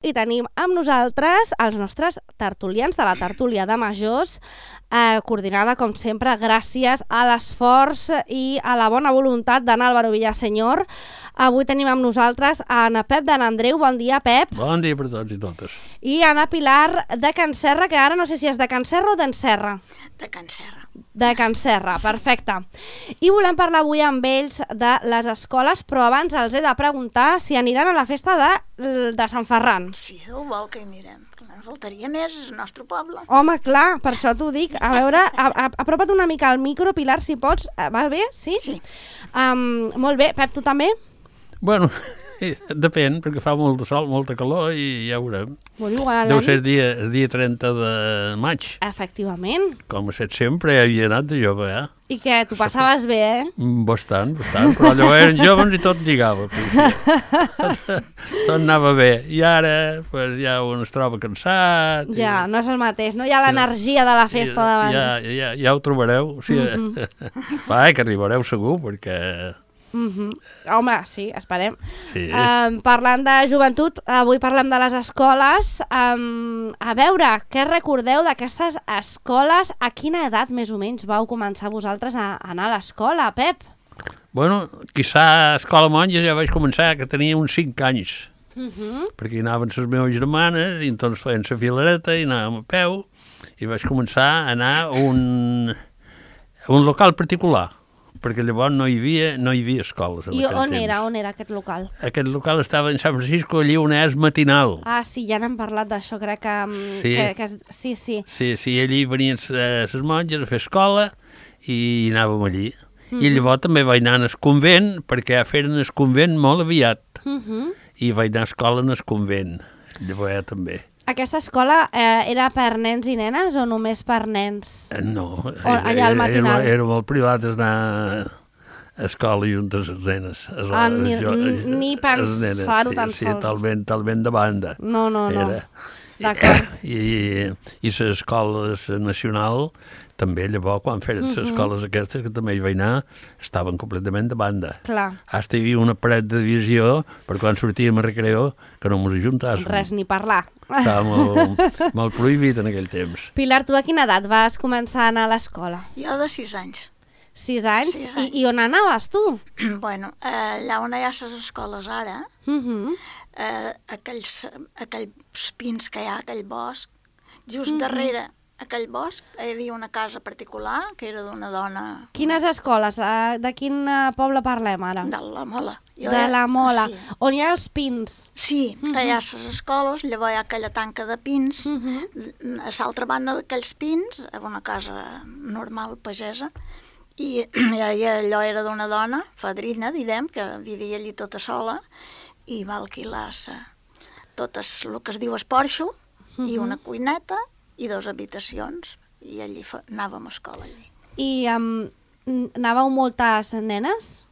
I tenim amb nosaltres els nostres tertulians de la tertúlia de majors, coordinada, com sempre, gràcies a l'esforç i a la bona voluntat d'en Álvaro Villaseñor. Avui tenim amb nosaltres en Pep de n'Andreu. Bon dia, Pep. Bon dia per tots i totes. I Anna Pilar de Can Serra, que ara no sé si és de Can Serra o d'en Serra. De Can Serra. De Can Serra, perfecte. I volem parlar avui amb ells de les escoles, però abans els he de preguntar si aniran a la festa de Sant Ferran. Si Déu vol que hi anirem. En faltaria més, és el nostre poble. Home, clar, per això t'ho dic. A veure, apropa't una mica al micro, Pilar, si pots. Va bé? Sí? Sí. Molt bé. Pep, tu també? Bueno, depèn, perquè fa molt de sol, molta calor i ja ho veurem. Deu ser el dia 30 de maig. Efectivament. Com a set sempre havia anat de jove, I què, tu passaves bé, Bastant, però allò eren joves i tot lligava. Tot anava bé. I ara pues, ja un es troba cansat. Ja, no és el mateix, no hi ha l'energia de la festa d'abans. Ja ho trobareu. O sigui, va, que arribareu segur, perquè... Home, sí, esperem. Sí. Parlant de joventut, avui parlem de les escoles. A veure, què recordeu d'aquestes escoles? A quina edat més o menys vau començar vosaltres a anar a l'escola, Pep? Bueno, quizà a Escola Monja ja vaig començar, que tenia uns 5 anys, perquè hi anaven les meves germanes i doncs feien la filareta i anàvem a peu i vaig començar a anar a un local particular, perquè llavors no hi havia escoles. I on era aquest local? Aquest local estava en Sant Francisco, allí on és matinal. Ah, sí, ja n'hem parlat d'això, crec que... Sí. Sí, allí venien les monges a fer escola i anàvem allí. I llavors també vaig anar al convent, perquè feren el convent molt aviat. I vaig anar a escola en el convent, llavors ja també. Aquesta escola era per nens i nenes o només per nens? No, allà al matinal? Era molt privat anar a escola juntes les nenes. Ni pensar-ho tan sols. Sí, talment de banda. No. D'acord. I les escoles nacional també llavors, quan feren les escoles aquestes, que també hi vaig anar, estaven completament de banda. Clar. Hasta hi havia una paret de divisió per quan sortíem a recreo que no ens ajuntàssim. Res, ni parlar. Estava molt prohibit en aquell temps. Pilar, tu a quina edat vas començar a anar a l'escola? Jo de 6 anys. 6 anys? I on anaves, tu? Bueno, allà on hi ha les escoles ara, aquells pins que hi ha, aquell bosc, just darrere aquell bosc hi havia una casa particular que era d'una dona... Quines escoles? De quin poble parlem ara? De la Mola. De la Mola. Sí. On hi ha els pins? Sí, que hi ha les escoles, llavors hi ha aquella tanca de pins, a l'altra banda d'aquells pins, una casa normal pagesa, i allò era d'una dona, fadrina, direm, que vivia allí tota sola, i va alquilar tot el que es diu esporxo, i una cuineta, i 2 habitacions, i allí anàvem a escola allí. I anàveu moltes nenes?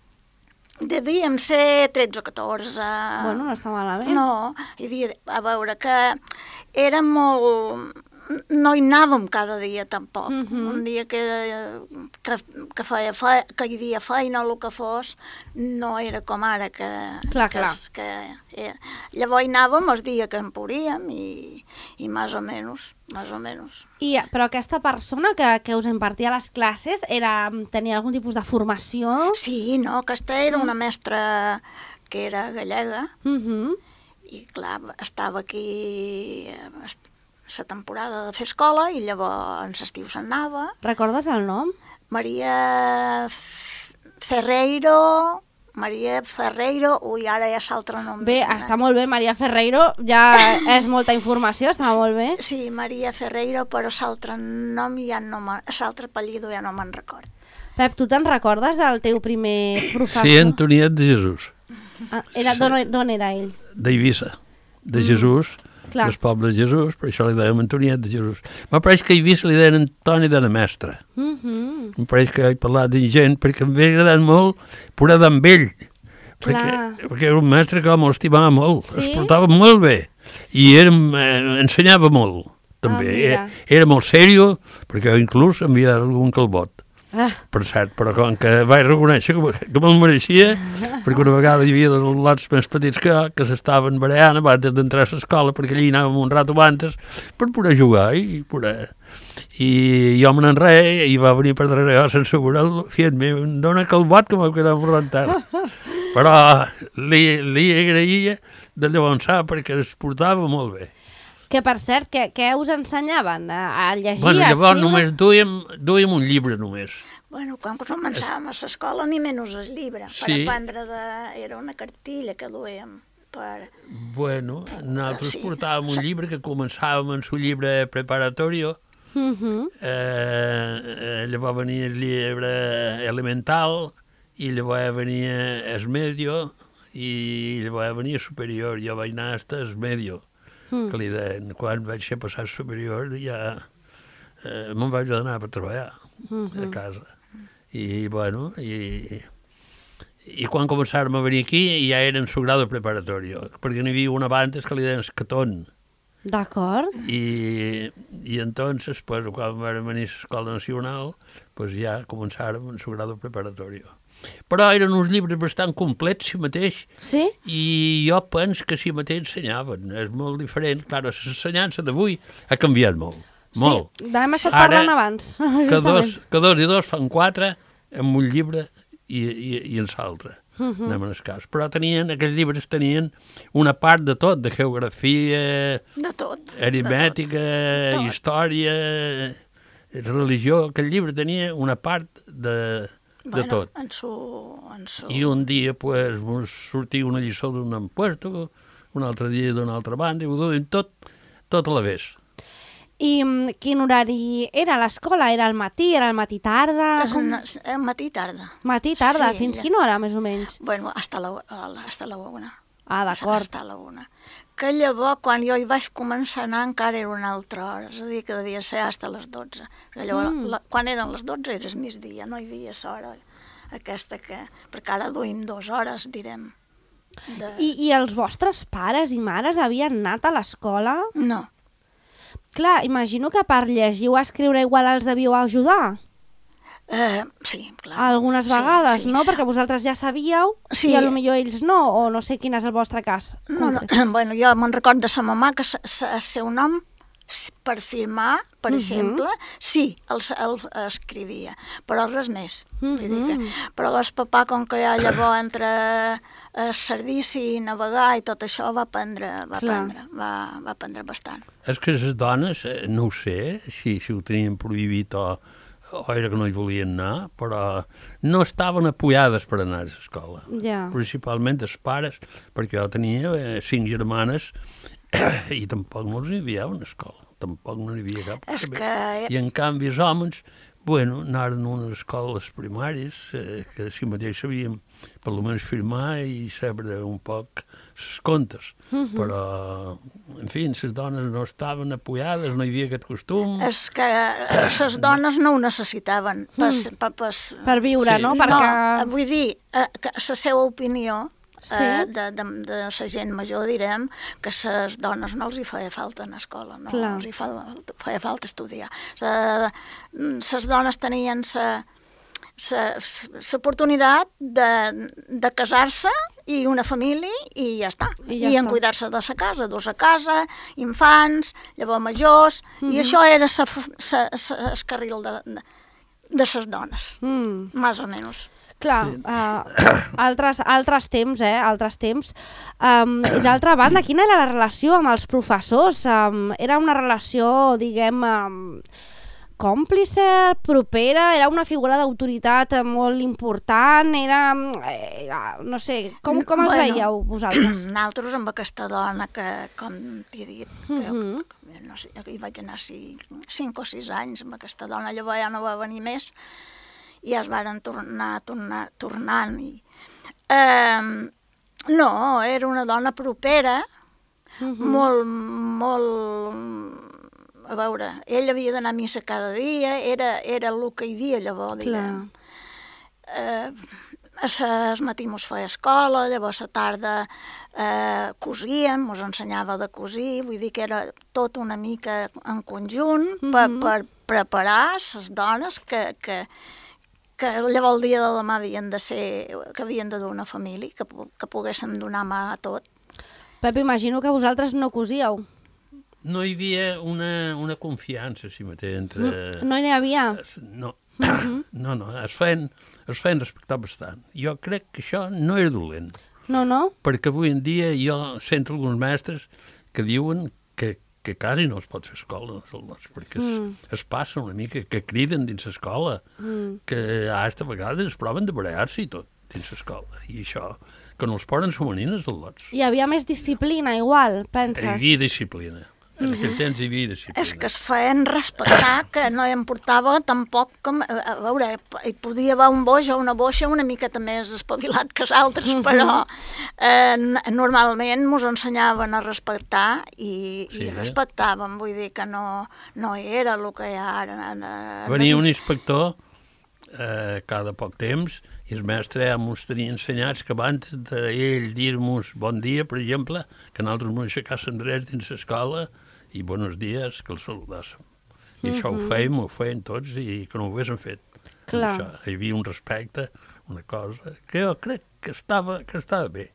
Devíem ser 13 o 14. Bueno, no està malament. No, hi havia, a veure, que era molt... No hi anàvem cada dia, tampoc. Un dia que hi havia feina o el que fos, no era com ara, que... Clar. Llavors hi anàvem el dia que en podíem i més o menys. Però aquesta persona que us impartia les classes tenia algun tipus de formació? Sí, no, aquesta era una mestra que era gallega i, clar, estava aquí la temporada de fer escola i llavors en l'estiu se'n anava. Recordes el nom? Maria Ferreiro, ara ja és l'altre nom. Bé, està molt bé, Maria Ferreiro, ja és molta informació, està molt bé. Sí, Maria Ferreiro, però l'altre nom l'altre apellido ja no me'n record. Pep, tu te'n recordes del teu primer professor? Sí, Antoniet de Jesús. D'on era ell? D'Eivissa, de Jesús, del poble de Jesús, per això li dèiem Antoniet de Jesús. Em pareix que a Eivissa li deien Antoni de la Mestra. Em pareix que he parlat de gent, perquè em havia agradat molt poder amb ell, perquè era un mestre que m'estimava molt, es portava molt bé, i ensenyava molt, també. Era molt sèrio, perquè inclús em havia dat algun calbot. Per cert, però com que vaig reconèixer que me'l mereixia, perquè una vegada hi havia dos lots més petits que s'estaven barallant abans d'entrar a l'escola, perquè allí anàvem un rato abans per poder jugar i poder... I jo me n'enreia i va venir per darrere jo sense veure-lo, fent-me, em dona calbot que m'ha quedat morrentat. Però li agraïa de llavors perquè es portava molt bé. Que, per cert, què us ensenyaven? A llegir, bueno, a llavors escriure? només duíem un llibre, només. Bueno, quan començàvem a l'escola, ni menys el llibre. Per aprendre era una cartilla que duíem. Bueno, nosaltres portàvem un llibre que començàvem en el llibre preparatorio. Llavors venia el llibre elemental i llavors venia el medio i llavors venia superior. Jo vaig anar fins al medio. Que li deien, quan vaig ser passat superior ja me'n vaig anar per treballar a casa. I, bueno, i quan començàrem a venir aquí ja era en su grado preparatorio, perquè n'hi havia una abans que li deien Escatón. D'acord. I entonces, pues, quan vam venir a l'Escola Nacional, pues ja començàrem en su grado preparatorio. Però eren uns llibres bastant complets, si mateix, i jo penso que si mateix ensenyaven. És molt diferent. Clar, l'ensenyança d'avui ha canviat molt. Molt. Sí, d'hem estat parlant abans. Que dos i dos fan 4 amb un llibre i en l'altre. Anem en el cas. Però aquells llibres tenien una part de tot, de geografia, de tot, aritmètica, història, religió. Aquell llibre tenia una part de tot. I un dia pues, sortia una lliçó d'un empuesto, un altre dia d'una altra banda, i ho duien tot a la vegada. I quin horari era a l'escola? Era al matí? Era al matí-tarda? Matí-tarda. Matí-tarda? Sí, fins quina hora, més o menys? Bueno, hasta la una. Ah, d'acord. Hasta la una. Que llavors, quan jo hi vaig començar a anar, encara era una altra hora, és a dir, que devia ser hasta les 12. Llavors, quan eren les 12 era el migdia, no hi havia l'hora aquesta que... Perquè ara duim 2 hores, direm. I els vostres pares i mares havien anat a l'escola? No. Clar, imagino que per llegir o escriure igual els devíeu ajudar. Sí, clar. Algunes vegades, sí. No? Perquè vosaltres ja sabíeu i potser ells no, o no sé quin és el vostre cas. No. Bueno, jo me'n recordo de sa mamà que el seu nom, per firmar, per exemple, sí, el escrivia, però res més. Però el papà, com que ja llavors entre el servici, navegar i tot això, va aprendre bastant. És que les dones, no ho sé, si ho tenien prohibit o era que no hi volien anar, però no estaven apoyades per anar a l'escola. Principalment els pares, perquè jo tenia 5 germanes i tampoc no els enviaven a l'escola, tampoc no hi havia cap. I en canvi els homes, bueno, anaren a unes escoles primàries que si mateix sabíem per almenys firmar i saber un poc els contes, però, en fi, les dones no estaven apoyades, no hi havia aquest costum. És que les dones no ho necessitaven per viure, no? No, vull dir, que la seva opinió de la gent major, direm, que a les dones no els hi feia falta anar a escola, no els hi feia falta estudiar. Les dones tenien l'oportunitat de casar-se i una família i ja està. I en cuidar-se de la casa, dur a casa, infants, llavors majors, i això era el carril de les dones, més o menys. Clar, altres temps, altres temps. I d'altra banda, quina era la relació amb els professors? Era una relació, diguem, còmplice, propera, era una figura d'autoritat molt important, era, no sé, com els veieu vosaltres? Nosaltres amb aquesta dona que, com t'he dit, no sé, hi vaig anar 5 o 6 anys amb aquesta dona, llavors ja no va venir més, i es van tornant. No, era una dona propera, molt... A veure, ell havia d'anar a missa cada dia, era el que hi havia llavors, direm. El matí mos feia escola, llavors a tarda cosíem, mos ensenyava de cosir, vull dir que era tot una mica en conjunt per preparar les dones que que llavors el dia de demà havien de dur una família, que poguéssim donar mà a tot. Pep, imagino que vosaltres no cosíeu. No hi havia una confiança, si mateix, entre... No n'hi havia? No, no, es feien respectar bastant. Jo crec que això no era dolent. No? Perquè avui en dia jo sento alguns mestres que diuen que quasi no es pot fer escola, perquè es passa una mica, que criden dins l'escola, que a vegades es proven de barallar-se i tot dins l'escola. I això, que no els poden femenines els lots. Hi havia més disciplina, igual, penses? Hi havia disciplina. En aquell temps hi havia disciplina. És que es feien respectar, que no hi importava tampoc com... A veure, hi podia haver un boix o una boixa una miqueta més espavilat que els altres, però normalment ens ensenyaven a respectar i respectàvem, vull dir que no era el que hi ha ara. Venia un inspector cada poc temps i el mestre ens tenia ensenyats que abans d'ell dir-nos bon dia, per exemple, que nosaltres ens aixecàssim drets dins l'escola i buenos dies, que els saludàssim. I això ho feien tots i que no ho haguéssim fet. Això, hi havia un respecte, una cosa que jo crec que estava bé.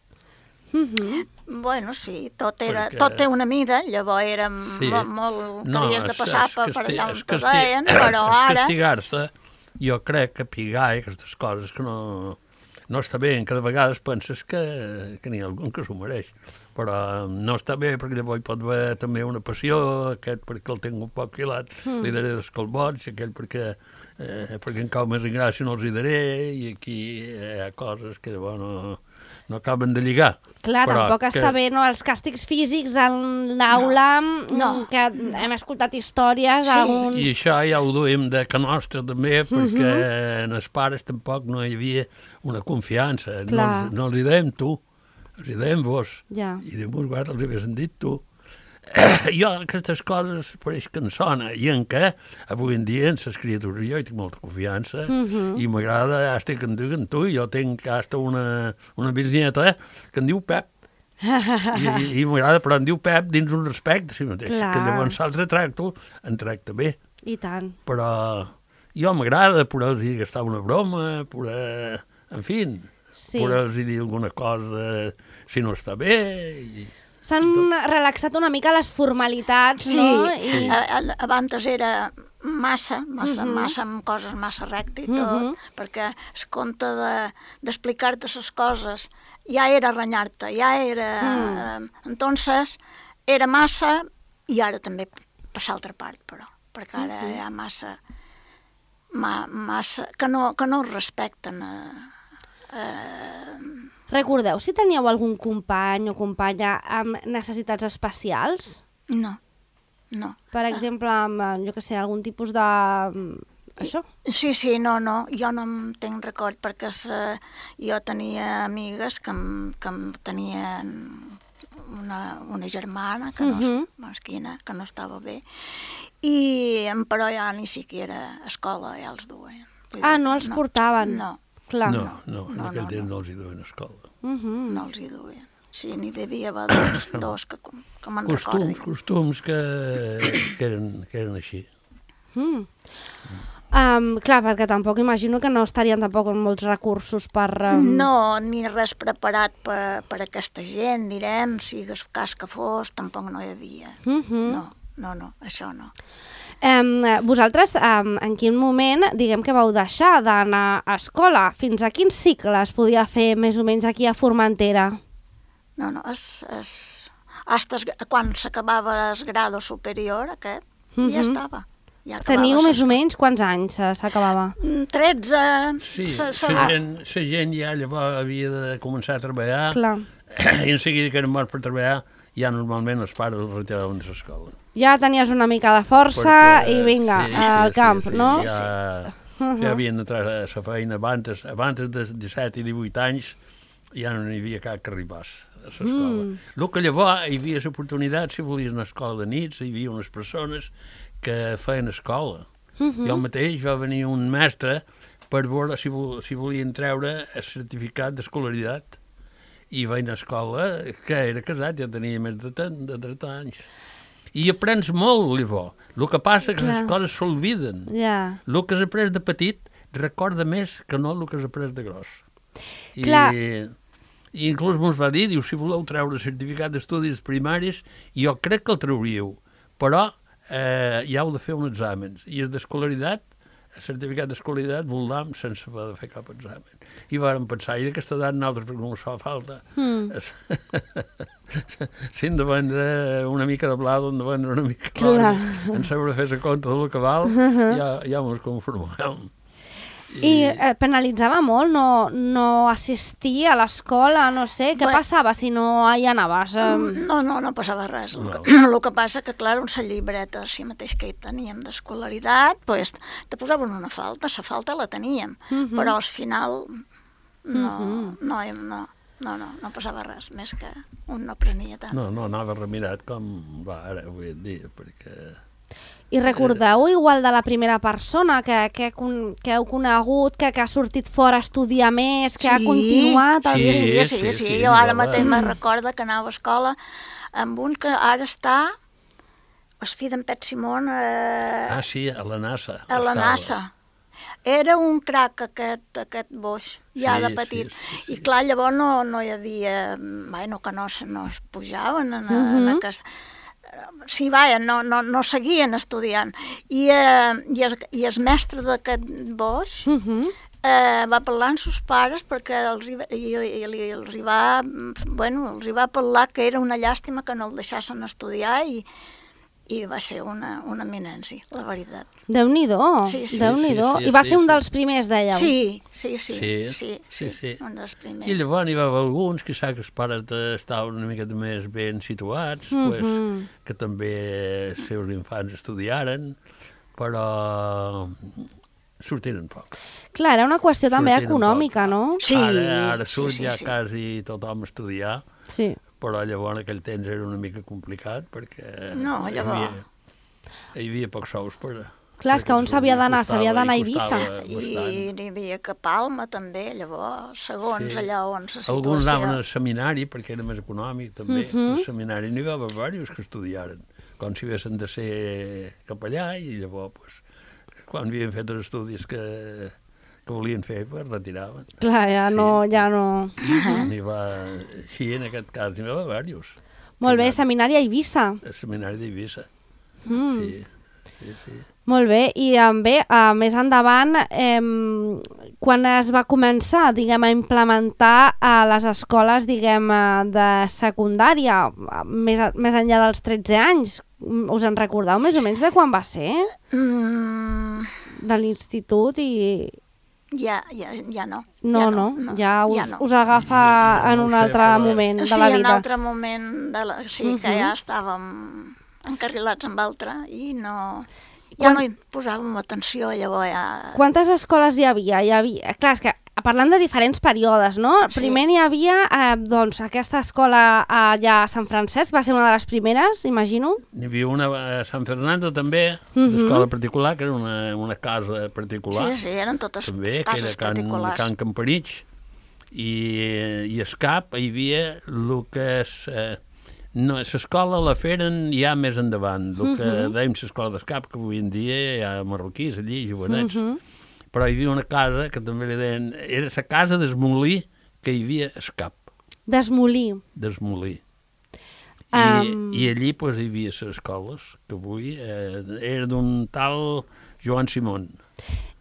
Bueno, sí, tot té una mida, llavors era molt que havies de passar per allà on te deien, però ara... Castigar-se, jo crec que pigar i aquestes coses que no està bé, cada vegada penses que n'hi ha algun que s'ho mereix, però no està bé perquè llavors hi pot haver també una passió, aquest perquè el tinc un poc filat, li daré dos colbots, aquell perquè en cau més en gràcia no els hi daré, i aquí hi ha coses que llavors no acaben de lligar. Clar, tampoc està bé, no? Els càstigs físics en l'aula, que hem escoltat històries... I això ja ho duem de que nostre també, perquè en els pares tampoc no hi havia una confiança. No els hi dèiem tu, els hi dèiem vos. I de molts vegades els hi haguessin dit tu. Jo aquestes coses pareix que em sona, i en què avui en dia en les criatures jo hi tinc molta confiança i m'agrada, hasta que em diguen tu, jo tinc hasta una bisnieta que em diu Pep i m'agrada, però em diu Pep dins un respecte, si mateix, que llavors l'altre em tracta bé. I tant. Però jo m'agrada poder-los dir que està una broma, en fi, poder-los dir alguna cosa si no està bé i... S'han relaxat una mica les formalitats, no? Sí, abans era massa amb coses massa recte i tot, perquè es compte d'explicar-te les coses ja era renyar-te, ja era... Entonces, era massa i ara també per l'altra part, però, perquè ara hi ha massa que no respecten Recordeu si teníeu algun company o companya amb necessitats especials? No. Per exemple, amb, jo què sé, algun tipus de... això? Sí, no, jo no em tinc record perquè jo tenia amigues que tenien una germana que no estava bé però ja ni siquiera a escola ja els duen. No els portaven? No. Clar. No, en aquell temps no els hi duen a escola. No els hi duen. Sí, n'hi devia haver dos que me'n recordi. Costums que eren així. Clar, perquè tampoc imagino que no estarien tampoc amb molts recursos per... No, ni res preparat per aquesta gent, direm, si el cas que fos, tampoc no hi havia. No, això no. Vosaltres, en quin moment, diguem que vau deixar d'anar a escola? Fins a quin cicle es podia fer més o menys aquí a Formentera? No, quan s'acabava el grado superior aquest, ja estava. Teniu més o menys quants anys s'acabava? 13... Sí, la gent ja llavors havia de començar a treballar. Clar. I en seguida que eren morts per treballar, ja normalment els pares els retiraven de l'escola. Ja tenies una mica de força i vinga, al camp, no? Ja havien d'entrar a la feina abans de 17 i 18 anys, ja no hi havia cap que arribés a l'escola. El que llavors hi havia l'oportunitat, si volies una escola de nits, hi havia unes persones que feien escola. Jo mateix va venir un mestre per veure si volien treure el certificat d'escolaritat i vaig anar a escola, que era casat, ja tenia més de 30 anys. I aprens molt, llavors. El que passa és que les coses s'olviden. El que has après de petit recorda més que no el que has après de gros. Clar. I inclús mos va dir, diu, si voleu treure certificat d'estudis primaris, jo crec que el trauríeu, però ja heu de fer uns exàmens. I el d'escolaritat, el certificat d'escolaritat, voldam sense haver de fer cap examen. I vàrem pensar, i d'aquesta edat nosaltres, perquè no ens fa falta, si hem de vendre una mica de blau, hem de vendre una mica de blau, en saber fer-se compte del que val, ja ens conformem. I penalitzava molt no assistir a l'escola, no sé, què passava si no hi anaves? No passava res. El que passa que, clar, una llibreta, si mateix que hi teníem d'escolaritat, pues, te posaven una falta, la falta la teníem, però al final no passava res, més que un no prenia tant. No anava remirat com va ara, avui en dia, perquè... I recordeu igual de la primera persona que heu conegut, que ha sortit fora a estudiar més, que ha continuat... Sí. Jo ara mateix me recordo que anava a escola amb un que ara està, el fill d'en Pet Simón... sí, a la NASA. A la NASA. Era un crac aquest boix, ja de petit. I clar, llavors no hi havia... Bueno, que no es pujaven en aquesta... Sí, vaja, no seguien estudiant. I el mestre d'aquest boix va parlar amb sos pares perquè els va parlar que era una llàstima que no el deixassen estudiar i va ser una eminència, la veritat. Déu-n'hi-do, Déu-n'hi-do. I va ser un dels primers, dèieu? Sí, un dels primers. I llavors hi va haver alguns, que sap que els pares estaven una mica més ben situats, que també els seus infants estudiaren, però sortiren poc. Clar, era una qüestió també econòmica, no? Sí. Ara surt ja quasi tothom a estudiar. Sí. Però llavors en aquell temps era una mica complicat perquè hi havia pocs sous per... Clar, és que on s'havia d'anar a Eivissa. I n'hi havia que Palma també, llavors, segons allà on la situació... Alguns anaven al seminari perquè era més econòmic també. Al seminari n'hi va haver diversos que estudiaren, com si haguessin de ser capellà i llavors, quan havien fet els estudis que volien fer, pues retiraven. Clar, ja no... N'hi va... Sí, en aquest cas n'hi va haver diversos. Molt bé, seminari a Eivissa. El seminari d'Eivissa, sí. Molt bé, i bé, més endavant, quan es va començar, diguem, a implementar a les escoles, diguem, de secundària, més enllà dels 13 anys, us en recordeu més o menys de quan va ser? De l'institut i... Ja no. No, ja us agafa en un altre moment de la vida. Sí, en un altre moment, que ja estàvem encarrilats amb altre i no hi posàvem atenció, llavors ja... Quantes escoles hi havia? Clar, és que parlant de diferents períodes, no? Sí. Primer hi havia, aquesta escola allà a Sant Francesc, va ser una de les primeres, imagino? Hi havia una a Sant Fernando també, d'escola particular, que era una casa particular. Sí, eren totes també, cases particulars. Can Campanich, i a Escap hi havia el que és... No, l'escola la feren ja més endavant, el que dèiem l'escola d'Escap, que avui en dia hi ha marroquís allí, jovenets. Però hi havia una casa que també li deien... Era la casa d'Esmolí que hi havia a Escap. D'Esmolí. D'Esmolí. I allí pues, hi havia les escoles, que avui era d'un tal Joan Simón.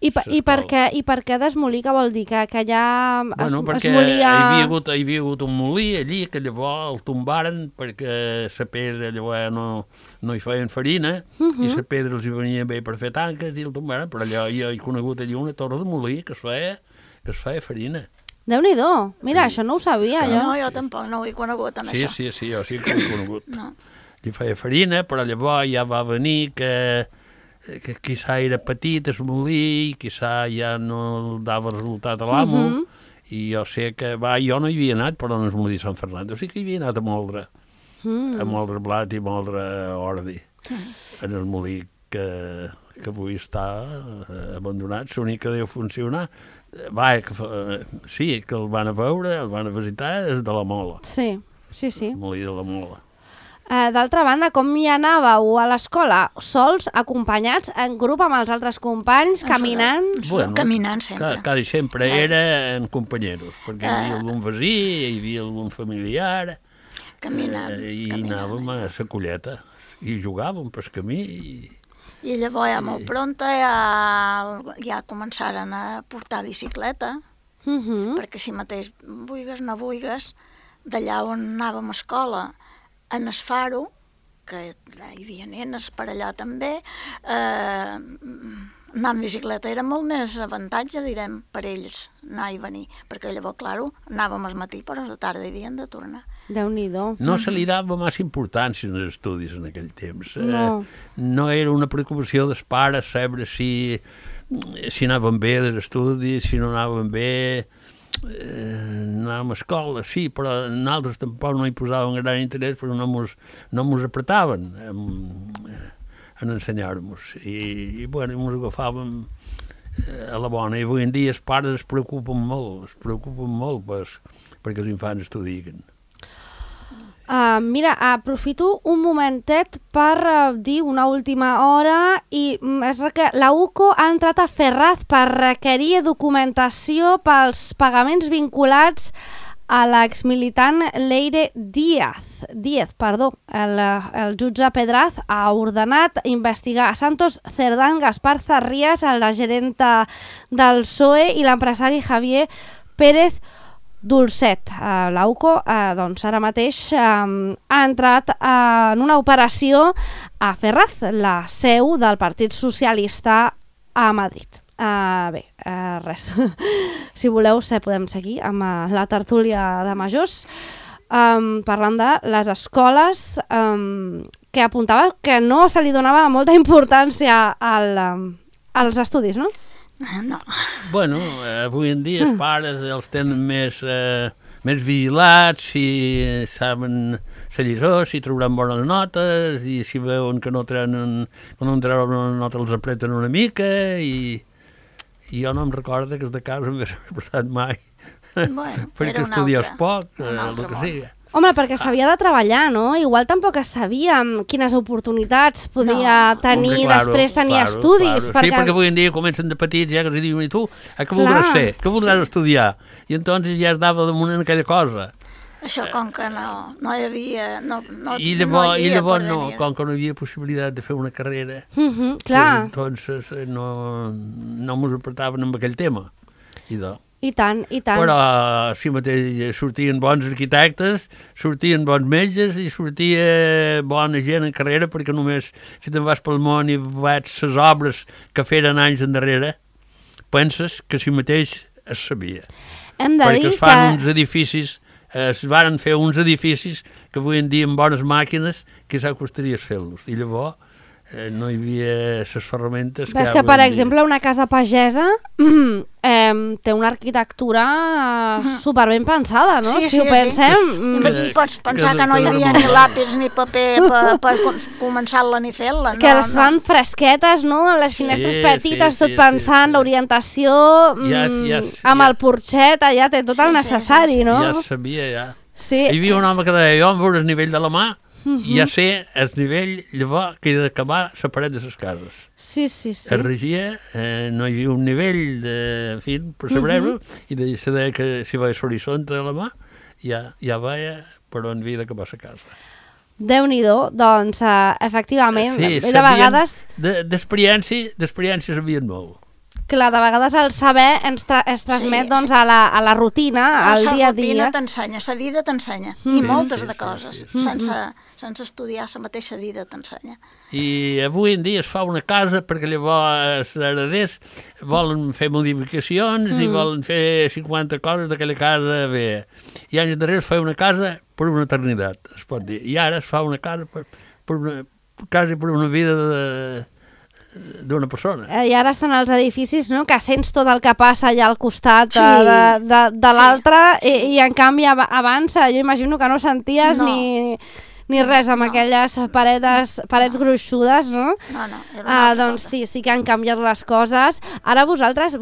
I per què d'Esmolí, què vol dir? Que allà perquè es molia... hi havia hagut un molí allí, que llavors el tombaren perquè la pedra llavors no hi feien farina, i la pedra els hi venia bé per fer tanques i el tombaren, però allà jo he conegut allí una torre de molí que es feia farina. Déu-n'hi-do, mira, això no ho sabia jo. No, jo tampoc no ho he conegut, amb això. Sí, jo sí que ho he conegut. Hi feia farina, però llavors ja va venir que quizà era petit el molí, quizà ja no dava resultat a l'amo, i jo sé que, jo no hi havia anat, però no és molí Sant Fernando, sí que hi havia anat a moldre blat i moldre ordi, en el molí que avui està abandonat, l'únic que deu funcionar, sí, que el van a veure, el van a visitar, és de la Mola. Sí. El molí de la Mola. D'altra banda, com hi anàveu a l'escola? Sols, acompanyats, en grup amb els altres companys, caminant? Bueno, caminant sempre. Quasi sempre era en companyeros, perquè hi havia algun veí, hi havia algun familiar, caminant. I anàvem a la colleta, i jugàvem pel camí. I llavors ja molt pronta ja començaren a portar bicicleta, perquè si mateix vulgues no vulgues, d'allà on anàvem a escola, en el Faro, que hi havia nenes per allà també, anar amb bicicleta era molt més avantatge, direm, per ells, anar i venir, perquè llavors, clar, anàvem al matí, però a la tarda havien de tornar. Déu-n'hi-do. No se li dava massa importància als estudis en aquell temps. No era una preocupació dels pares saber si anaven bé dels estudis, si no anaven bé. Anàvem a escola, sí, però nosaltres tampoc no hi posàvem gran interès perquè no mos apretaven en ensenyar-nos i bueno, mos agafàvem a la bona, i avui en dia els pares es preocupen molt perquè els infants estudien. Mira, aprofito un momentet per dir una última hora i és que la UCO ha entrat a Ferraz per requerir documentació pels pagaments vinculats a l'exmilitant Leire Díaz. El jutge Pedraz ha ordenat investigar a Santos Cerdán, Gaspar Zarrías, la gerenta del PSOE i l'empresari Javier Pérez Dulcet. La UCO doncs ara mateix ha entrat en una operació a Ferraz, la seu del Partit Socialista a Madrid. Res. Si voleu, podem seguir amb la tertúlia de majors, parlant de les escoles, que apuntava que no se li donava molta importància als estudis, no? No. Bueno, avui en dia els pares els tenen més vigilats, si saben la lliçó, si trauran bones notes, i si veuen que no treuen una nota els apreten una mica, i jo no em recordo que els de casa m'he portat mai, perquè estudies poc, el que sigui. Home, perquè s'havia de treballar, no? Igual tampoc es sabia quines oportunitats podia tenir, després tenir estudis. Sí, perquè avui en dia comencen de petits, ja que els diuen, i tu, què voldràs ser? Què voldràs estudiar? I entonces ja es dava damunt en aquella cosa. Això com que no hi havia... I llavors com que no hi havia possibilitat de fer una carrera, entonces no mos apretaven amb aquell tema. I tant. Però sí mateix sortien bons arquitectes, sortien bons metges i sortia bona gent en carrera, perquè només si te'n vas pel món i veig les obres que feren anys endarrere, penses que si mateix es sabia. Perquè es fan uns edificis, es varen fer uns edificis que avui en dia amb bones màquines quizà costaria fer-los. I llavors no hi havia les ferramentes que... Ves que, per exemple, una casa pagesa té una arquitectura superben pensada, no? Si ho pensem... I pots pensar que no hi havia ni lápiz ni paper per començar-la ni fer-la. Que les fan fresquetes, no? Les finestres petites, tot pensant, l'orientació, amb el porxet, allà té tot el necessari, no? Ja es sabia, ja. Hi havia un home que deia, jo em veure el nivell de la mà, ja sé el nivell, llavors, que he d'acabar la paret de les cases. Sí. Es regia, no hi havia un nivell per saber-ho, i de saber que si va a l'horitzonte de la mà, ja veia per on havia d'acabar la casa. Déu-n'hi-do, doncs, efectivament, de vegades... D'experiència sabien molt. Clar, de vegades el saber es transmet doncs, a la rutina, al dia a dia. La rutina t'ensenya, la vida t'ensenya, i moltes de coses. Sense estudiar, la mateixa vida t'ensenya. I avui en dia es fa una casa perquè llavors els hereders volen fer modificacions i volen fer 50 coses d'aquella casa bé. I anys darrere es fa una casa per una eternitat, es pot dir. I ara es fa una casa quasi per una vida d'una persona. I ara són els edificis, no?, que sents tot el que passa allà al costat de l'altre, i en canvi abans jo imagino que no senties ni res, amb aquelles parets gruixudes, no? No, era una altra doncs cosa. sí que han canviat les coses. Ara vosaltres,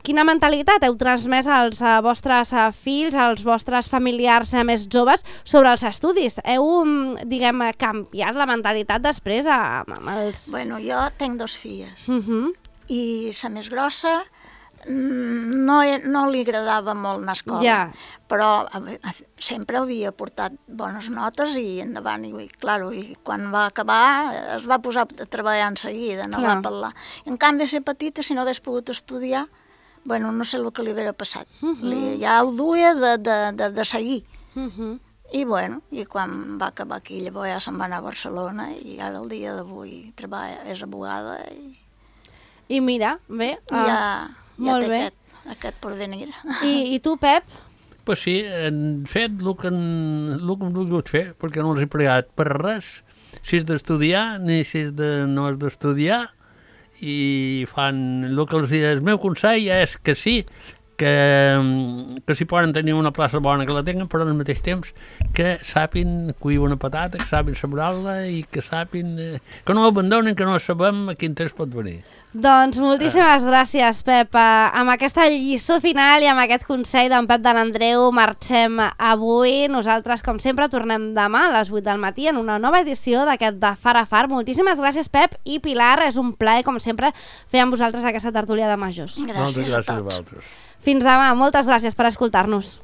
quina mentalitat heu transmès als vostres fills, als vostres familiars més joves sobre els estudis? Heu, diguem, canviat la mentalitat després amb els... Bueno, jo tinc 2 filles i la més grossa no li agradava molt anar a escola, però sempre havia portat bones notes i endavant, i quan va acabar es va posar a treballar en seguida, no va parlar. En canvi, ser petita, si no hagués pogut estudiar, bueno, no sé el que li hauria passat. Ja ho duia de seguir. I bueno, i quan va acabar aquí, llavors ja se'n va anar a Barcelona i ara el dia d'avui treballa, és abogada i mira, bé, ja té aquest porvenir. I tu, Pep? Pues sí, han fet el que han volgut fer, perquè no els he pregat per res, si és d'estudiar ni si no és d'estudiar, i fan el que els diuen. El meu consell és que sí, que si poden tenir una plaça bona que la tinguen, però al mateix temps que sàpin cuir una patata, que sàpin sembrar-la i que sàpin... que no abandonen, que no sabem a quin temps pot venir. Doncs moltíssimes gràcies, Pep. Amb aquesta lliçó final i amb aquest consell d'en Pep de l'Andreu marxem avui. Nosaltres, com sempre, tornem demà a les 8 del matí en una nova edició d'aquest de Far a Far. Moltíssimes gràcies, Pep i Pilar. És un plaer, com sempre, fer amb vosaltres aquesta tertúlia de majors. Gràcies a tots. Vosaltres. Fins demà. Moltes gràcies per escoltar-nos.